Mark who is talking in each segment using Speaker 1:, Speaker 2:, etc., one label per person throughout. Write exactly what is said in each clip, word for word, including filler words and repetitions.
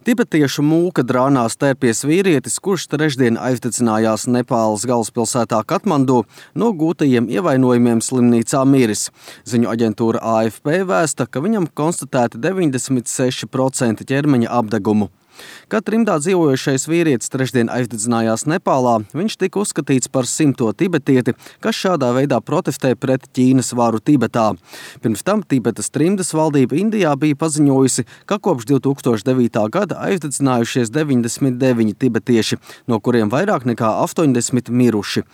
Speaker 1: Tibetiešu mūka drānās tērpies vīrietis, kurš trešdien aizdedzinājās Nepāles galvaspilsētā Katmandu, no gūtajiem ievainojumiem slimnīcā miris. Ziņu aģentūra A F P vēsta, ka viņam konstatēti deviņdesmit seši procenti ķermeņa apdegumu. Kad trimdā dzīvojošais vīrietis trešdien aizdedzinājās Nepālā, viņš tika uzskatīts par simto tibetieti, kas šādā veidā protestē pret Ķīnas varu Tibetā. Pirms tam Tibetas trimdas valdība Indijā bija paziņojusi, ka kopš divi tūkstoši devītā gada aizdedzinājušies deviņdesmit deviņi tibetieši, no kuriem vairāk nekā astoņdesmit miruši.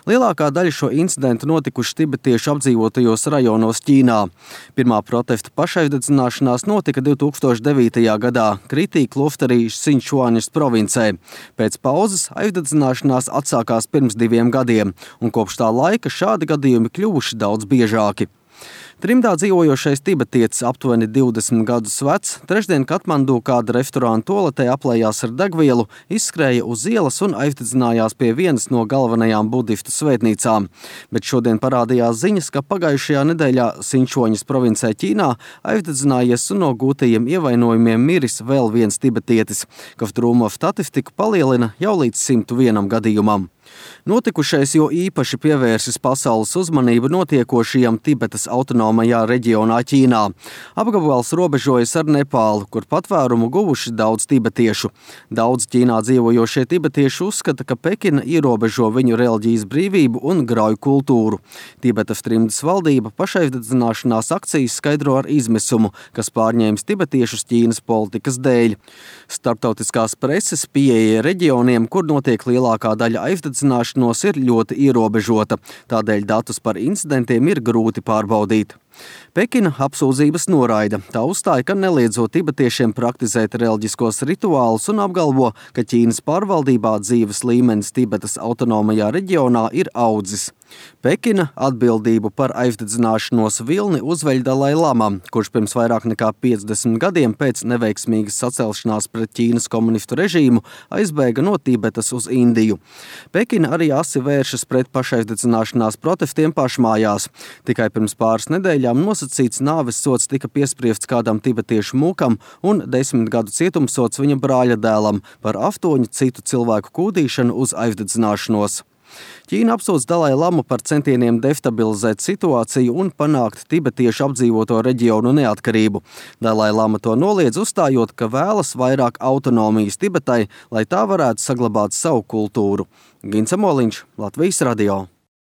Speaker 1: Lielākā daļa šo incidentu notikuši tibetiešu apdzīvotajos rajonos Ķīnā. Pirmā protesta pašaizdedzināšanās notika divi tūkstoši devītajā gadā Kritī klosterī Sinčuaņas provincē. Pēc pauzes aizdedzināšanās atsākās pirms diviem gadiem, un kopš tā laika šādi gadījumi kļuvuši daudz biežāki. Trimdā dzīvojošais tibetietis, aptuveni divdesmit gadus vecs, trešdien Katmandu kāda restorāna toaletē aplējās ar degvielu, izskrēja uz ielas un aizdedzinājās pie vienas no galvenajām budistu svētnīcām. Bet šodien parādījās ziņas, ka pagājušajā nedēļā Sinčuaņas provincē Ķīnā aizdedzinājies un no gūtajiem ievainojumiem miris vēl viens tibetietis, kas drūmo statistiku palielina jau līdz simt vienam gadījumam. Notikušais jo īpaši pievērsis pasaules uzmanību notiekošajam Tibetas autonomajā reģionā Ķīnā. Apgabals robežojas ar Nepālu, kur patvērumu guvuši daudz tibetiešu. Daudz Ķīnā dzīvojošie tibetieši uzskata, ka Pekina ierobežo viņu reliģijas brīvību un grauj kultūru. Tibetas trimdas valdība pašaizdedzināšanās akcijas skaidro ar izmisumu, kas pārņēmis tibetiešus Ķīnas politikas dēļ. Starptautiskās preses pieeja reģioniem, kur notiek lielākā daļa aizdedzināšanos, ir ļoti ierobežota, tādēļ datus par incidentiem ir grūti pārbaudīt. Pekina apsūdzības noraida. Tā uzstāja, ka neliedzot tibetiešiem praktizēt reliģiskos rituālus un apgalvo, ka Ķīnas pārvaldībā dzīves līmenis Tibetas autonomajā reģionā ir audzis. Pekina atbildību par aizdedzināšanos vilni uzveļ Dalai Lama, kurš pirms vairāk nekā piecdesmit gadiem pēc neveiksmīgas sacelšanās pret Ķīnas komunistu režīmu aizbēga no Tibetas uz Indiju. Pekina arī asi vēršas pret pašaizdedzināšanās protestiem pašmājās. Tikai pirms pāris nedēļām nosacīts nāves sods tika piespriests kādam tibetiešu mūkam un desmit gadu cietumsods viņa brāļa dēlam par astoņu citu cilvēku kūdīšanu uz aizdedzināšanos. Ķīna apsūdz Dalai Lamu par centieniem destabilizēt situāciju un panākt tibetiešu apdzīvoto reģionu neatkarību. Dalai Lama to noliedz, uzstājot, ka vēlas vairāk autonomijas Tibetai, lai tā varētu saglabāt savu kultūru. Gins Amoliņš, Latvijas radio.